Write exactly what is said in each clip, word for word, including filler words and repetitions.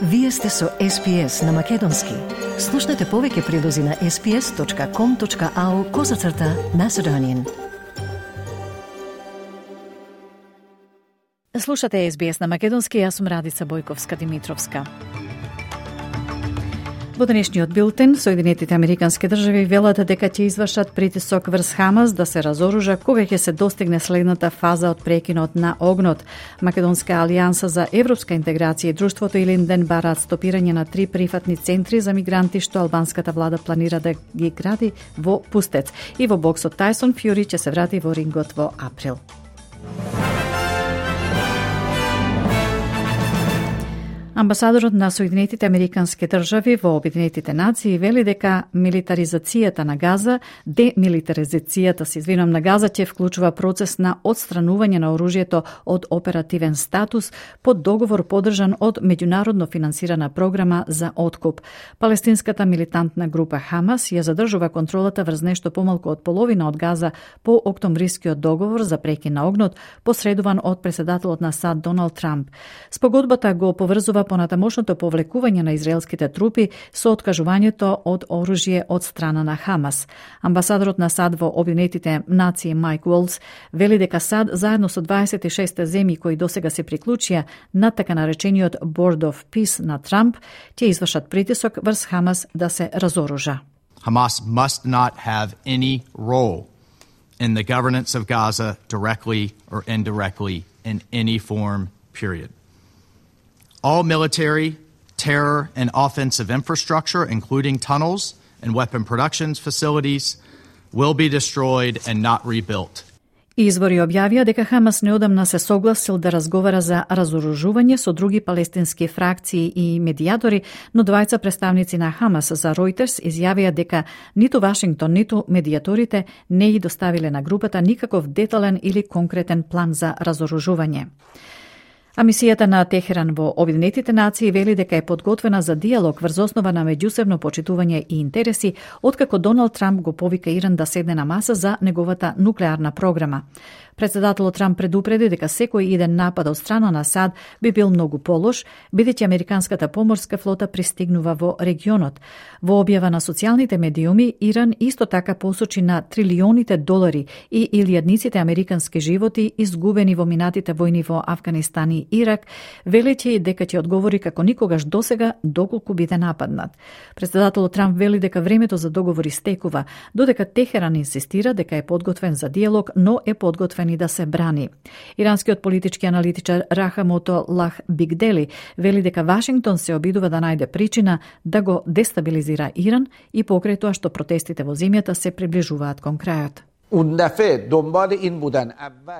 Вие сте со Ес Би Ес на Македонски. Слушнете повеќе прилози на ес би ес точка ком точка ау козацрта Macedonian. Слушате Ес Би Ес на Македонски, јас сум Радица Бојковска-Димитровска. Во денешниот билтен, Соединетите Американски држави велат дека ќе извршат притисок врз Хамас да се разоружа кога ќе се достигне следната фаза од прекинот на огнот. Македонска алијанса за европска интеграција и друштвото Илинден бараат стопирање на три прифатни центри за мигранти што албанската влада планира да ги гради во Пустец. И во боксот Тајсон Фјури ќе се врати во рингот во април. Амбасадорот на Соединетите Американски држави во Обединетите нации вели дека милитаризацијата на Газа, демилитаризацијата се извинувам на Газа ќе вклучува процес на отстранување на оружјето од оперативен статус под договор поддржан од меѓународно финансирана програма за откуп. Палестинската милитантна група Хамас ја задржува контролата врз нешто помалку од половина од Газа по октомврискиот договор за прекин на огнот, посредуван од претседателот на САД Доналд Трамп. Спогодбата го поврзува понатамошното повлекување на израелските трупи со откажувањето од оружје од страна на Хамас. Амбасадорот на САД во Обединетите нации Майк Уолс вели дека САД заедно со дваесет и шест земји кои досега се приклучија на така наречениот Board of Peace на Трамп ќе извршат притисок врз Хамас да се разоружа. Hamas must not have any role in the governance of Gaza directly or indirectly in any form, period. All military, terror, and offensive infrastructure, including tunnels and weapon production facilities, will be destroyed and not rebuilt. Извори објавија дека Хамас неодамна се согласил да разговара за разоружување со други палестински фракции и медијатори, но двајца представници на Хамас за Reuters изјавија дека ниту Вашингтон, ниту медијаторите не ги доставиле на групата никаков детален или конкретен план за разоружување. А мисијата на Техеран во Обединетите нации вели дека е подготвена за диалог врз основа на меѓусебно почитување и интереси, откако Доналд Трамп го повика Иран да седне на маса за неговата нуклеарна програма. Председателот Трамп предупреди дека секој иден напад од страна на САД би бил многу полош, бидејќи американската поморска флота пристигнува во регионот. Во објава на социјалните медиуми, Иран исто така посочи на трилионите долари и илјадниците американски животи изгубени во минатите војни во Авганистан и Ирак, велејќи дека ќе одговори како никогаш досега доколку биде нападнат. Председателот Трамп вели дека времето за договори стекува, додека Техеран инсистира дека е подготвен за диалог, но е подготвен и да се брани. Иранскиот политички аналитичар Рахамото Лах Бигдели вели дека Вашингтон се обидува да најде причина да го дестабилизира Иран и покрај тоа што протестите во земјата се приближуваат кон крајот.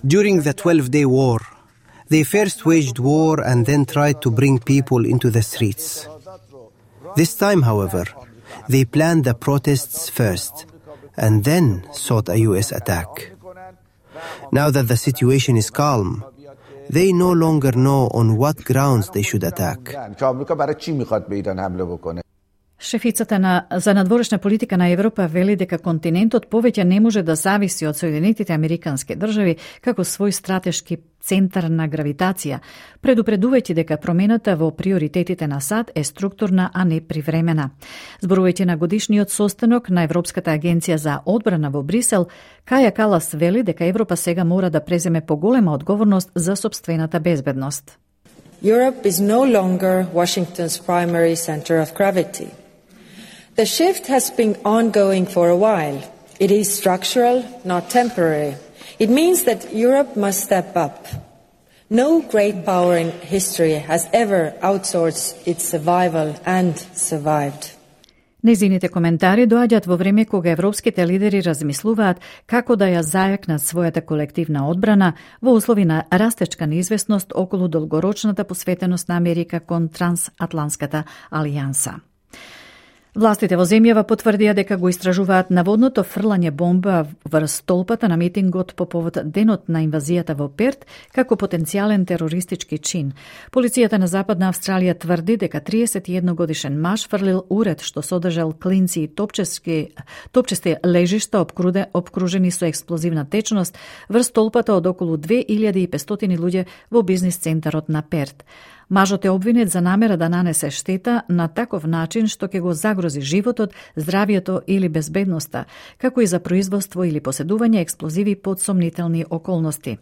During the twelve-day war, they first waged war and then tried to bring people into the streets. This time, however, they planned the protests first and then sought a U S attack. Now that the situation is calm, they no longer know on what grounds they should attack. Шефицата на за надворешна политика на Европа вели дека континентот повеќе не може да зависи од Соединетите Американски држави како свој стратешки центар на гравитација, предупредувајќи дека промената во приоритетите на САД е структурна, а не привремена. Зборувајќи на годишниот состанок на Европската агенција за одбрана во Брисел, Каја Калас вели дека Европа сега мора да преземе поголема одговорност за сопствената безбедност. Europe is no longer Washington's primary center of gravity. The shift has been ongoing for a while. It is structural, not temporary. It means that Europe must step up. No great power in history has ever outsourced its survival and survived. Незините коментари доаѓаат во време кога европските лидери размислуваат како да ја зајакнат својата колективна одбрана во услови на растечка неизвестност околу долгорочната посветеност на Америка кон трансатланската алијанса. Властите во земјава потврдија дека го истражуваат наводното фрлање бомба врз столпата на митингот по повод денот на инвазијата во Перт како потенцијален терористички чин. Полицијата на Западна Австралија тврди дека триесет и едно годишен маж фрлил уред што содржал клинци и топчески топчести лежишта обкружени со експлозивна течност врз столпата од околу две илјади и петстотини луѓе во бизнис центарот на Перт. Мажот е обвинет за намера да нанесе штета на таков начин што ќе го загрози животот, здравието или безбедноста, како и за производство или поседување експлозиви под сомнителни околности.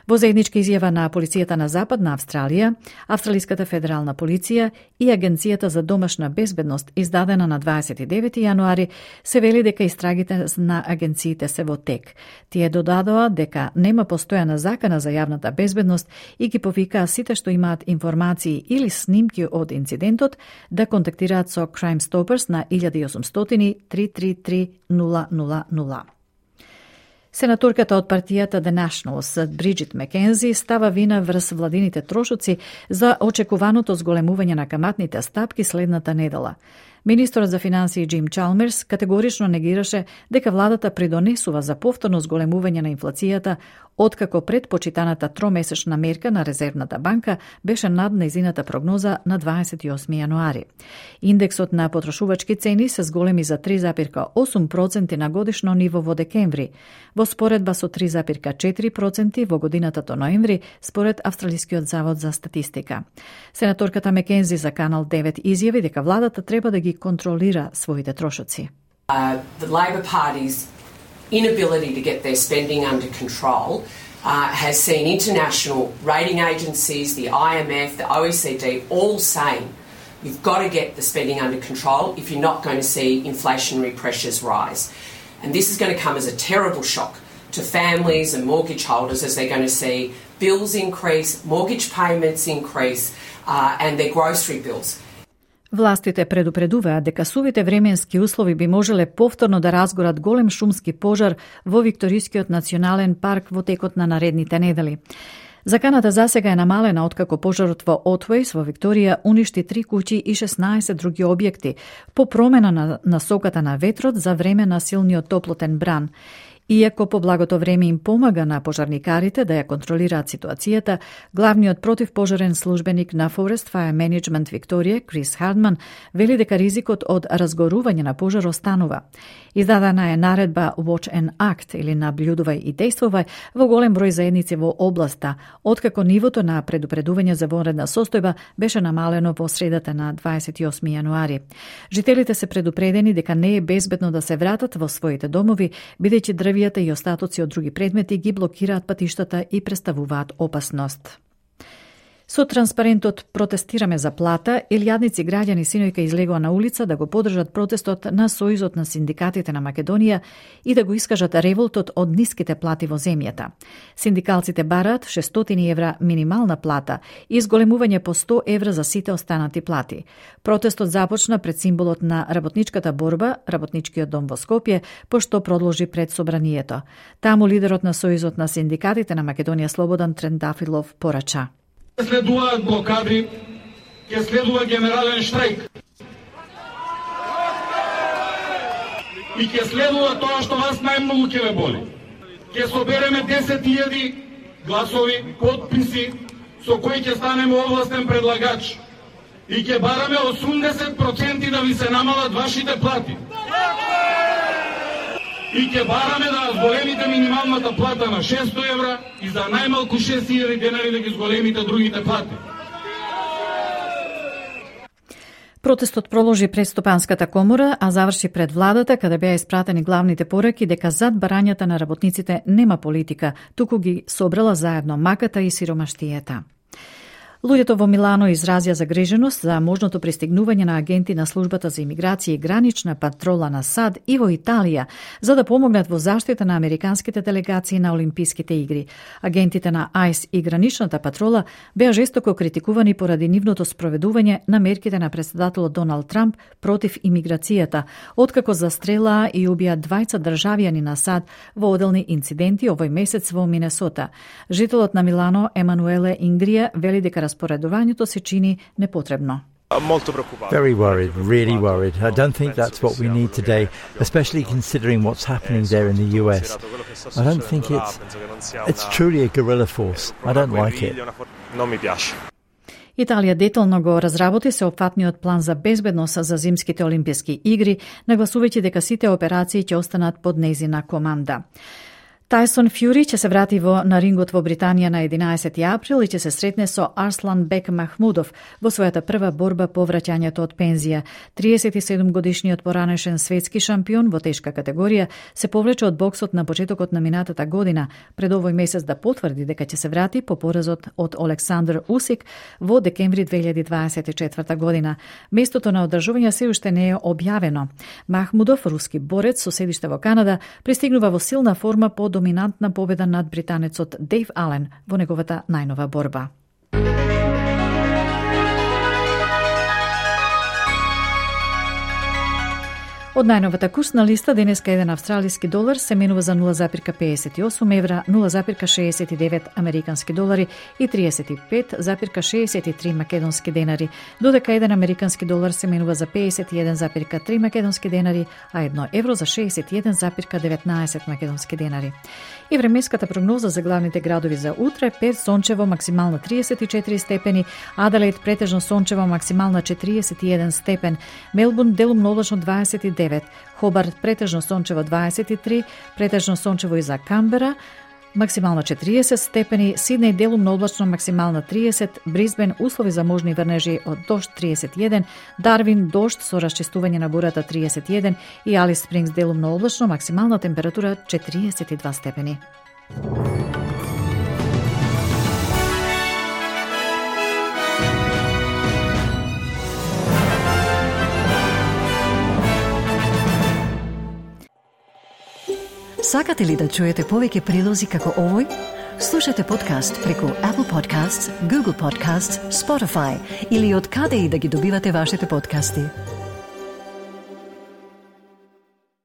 Во заедничка изјава на полицијата на Западна Австралија, Австралиската федерална полиција и Агенцијата за домашна безбедност, издадена на дваесет и девети јануари, се вели дека истрагите на агенциите се во тек. Тие додадоа дека нема постојана закана за јавната безбедност и ги повикаа сите што имаат информации или снимки од инцидентот да контактираат со Crime Stoppers на еден осумстотини три три три нула нула нула. Сенаторката од партијата The Nationals, Бриджит Макензи, става вина врз владините трошоци за очекуваното зголемување на каматните стапки следната недела. Министерот за финансии Джим Чалмерс категорично негираше дека владата придонесува за повторно зголемување на инфлацијата, откако предпочитаната тромесечна мерка на Резервната банка беше над нејзината прогноза на дваесет и осми јануари. Индексот на потрошувачки цени се зголеми за три зарез осум проценти на годишно ниво во декември, во споредба со три зарез четири проценти во годината до ноември, според Австралискиот завод за статистика. Сенаторката Макензи за Канал девет изјави дека владата треба да ги контролира своите трошоци. Uh, the Labor Party's inability to get their spending under control uh, has seen international rating agencies, the I M F, the O E C D, all saying you've got to get the spending under control if you're not going to see inflationary pressures rise. And this is going to come as a terrible shock to families and mortgage holders as they're going to see bills increase, mortgage payments increase, uh, and their grocery bills. Властите предупредуваат дека сувите временски услови би можеле повторно да разгорат голем шумски пожар во Викторискиот национален парк во текот на наредните недели. Заканата засега е намалена откако пожарот во Отвојс во Викторија уништи три куќи и шеснаесет други објекти по промена на насоката на ветрот за време на силниот топлотен бран. Иако по благото време им помага на пожарникарите да ја контролираат ситуацијата, главниот противпожарен службеник на Forest Fire Management Викторија, Крис Хардман, вели дека ризикот од разгорување на пожар останува. Издадена е наредба Watch and Act или наблюдувај и действувај во голем број заедници во областа, откако нивото на предупредување за вонредна состојба беше намалено во средата на дваесет и осми јануари. Жителите се предупредени дека не е безбедно да се вратат во своите домови, бидејќи дрвијата и остатоци од други предмети ги блокираат патиштата и представуваат опасност. Со транспарентот "Протестираме за плата", илјадници граѓани синојка излегоа на улица да го поддржат протестот на Сојузот на синдикатите на Македонија и да го искажат револтот од ниските плати во земјата. Синдикалците бараат шестстотини евра минимална плата и зголемување по сто евра за сите останати плати. Протестот започна пред символот на работничката борба, Работничкиот дом во Скопје, пошто продолжи пред собранието. Таму лидерот на Сојузот на синдикатите на Македонија Слободан Трендафилов порача: Следуваат блокади, ќе следува генерален штрајк. И ќе следува тоа што вас најмногу ќе ве боли. Ќе собереме десет илјади гласови, подписи, со кои ќе станеме овластен предлагач. И ќе бараме осумдесет проценти да ви се намалат вашите плати. И ќе бараме да зголемите минималната плата на шестстотини евра и за најмалку шест илјади денари да ги зголемите другите плати. Протестот проложи пред Стопанската комора, а заврши пред владата, каде беа испратени главните пораки дека зад барањата на работниците нема политика, туку ги собрала заедно маката и сиромаштијата. Луѓето во Милано изразија загриженост за можното пристигнување на агенти на службата за имиграција и гранична патрола на САД и во Италија за да помогнат во заштита на американските делегации на Олимписките игри. Агентите на АЙС и граничната патрола беа жестоко критикувани поради нивното спроведување на мерките на претседателот Доналд Трамп против имиграцијата, откако застрелаа и убија двајца државјани на САД во оделни инциденти овој месец во Минесота. Жителот на Милано Емануеле Ингрија вели дека распоредувањето се чини непотребно. Very worried, really worried. I don't think that's what we need today, especially considering what's happening there in the U S. I don't think it's it's truly a guerrilla force. I don't like it. Италија детално го разработи сеопфатниот план за безбедност за зимските олимписки игри, нагласувајќи дека сите операции ќе останат под нејзина команда. Тайсон Фјури ќе се врати во на рингот во Британија на единаесети април и ќе се сретне со Арслан Бек Махмудов во својата прва борба по враќањето од пензија. триесет и седум годишниот поранешен светски шампион во тешка категорија се повлече од боксот на почетокот на минатата година, пред овој месец да потврди дека ќе се врати по поразот од Олександар Усик во декември две илјади дваесет и четврта година. Местото на одржување се уште не е објавено. Махмудов, руски борец со седиште во Канада, пристигнува во силна форма по доминантна победа над британецот Дейв Ален во неговата најнова борба. Од најновата курсна листа денеска еден австралиски долар се менува за нула запирка педесет и осум евра, нула запирка шеесет и девет американски долари и триесет и пет запирка шеесет и три македонски денари, додека еден американски долар се менува за педесет и еден запирка три македонски денари, а едно евро за шеесет и еден запирка деветнаесет македонски денари. И временската прогноза за главните градови за утре: Перт сончево, максимално триесет и четири степени, Аделаид претежно сончево, максимална четириесет и еден степен, Мелбурн делумно облачно дваесет и девет, Хобарт претежно сончево дваесет и три, претежно сончево и за Камбера, максимално четириесет степени, Сиднеј делумно облачно, максимална триесет, Брисбен услови за можни врнежи од дожд триесет и еден, Дарвин дожд со расчистување на бурата триесет и еден и Алис Спрингс делумно облачно, максимална температура четириесет и два степени. Сакате ли да чуете повеќе прилози како овој? Слушате подкаст преку Apple Podcasts, Google Podcasts, Spotify или од каде и да ги добивате вашите подкасти.